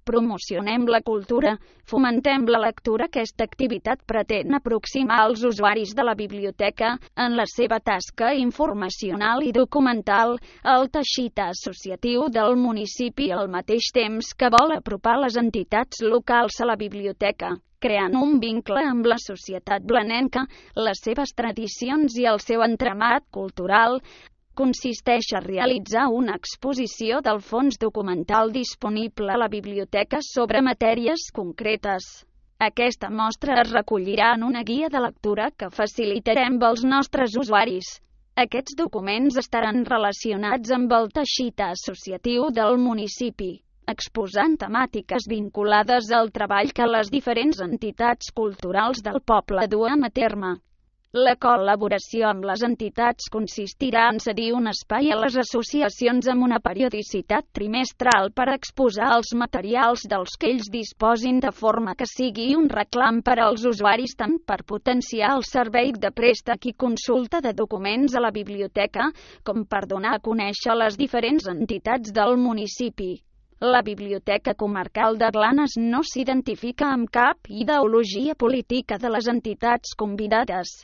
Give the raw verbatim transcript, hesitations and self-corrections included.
Promocionem la cultura, fomentem la lectura. Aquesta activitat pretén aproximar els usuaris de la biblioteca en la seva tasca informacional i documental al teixit associatiu del municipi al mateix temps que vol apropar les entitats locals a la biblioteca, creant un vincle amb la societat blanenca, les seves tradicions i el seu entramat cultural. Consisteix a realitzar una exposició del fons documental disponible a la biblioteca sobre matèries concretes. Aquesta mostra es recollirà en una guia de lectura que facilitarem als nostres usuaris. Aquests documents estaran relacionats amb el teixit associatiu del municipi, exposant temàtiques vinculades al treball que les diferents entitats culturals del poble duen a terme. La col·laboració amb les entitats consistirà en cedir un espai a les associacions amb una periodicitat trimestral per exposar els materials dels que ells disposin de forma que sigui un reclam per als usuaris tant per potenciar el servei de préstec i consulta de documents a la biblioteca com per donar a conèixer les diferents entitats del municipi. La Biblioteca Comarcal de Blanes no s'identifica amb cap ideologia política de les entitats convidades.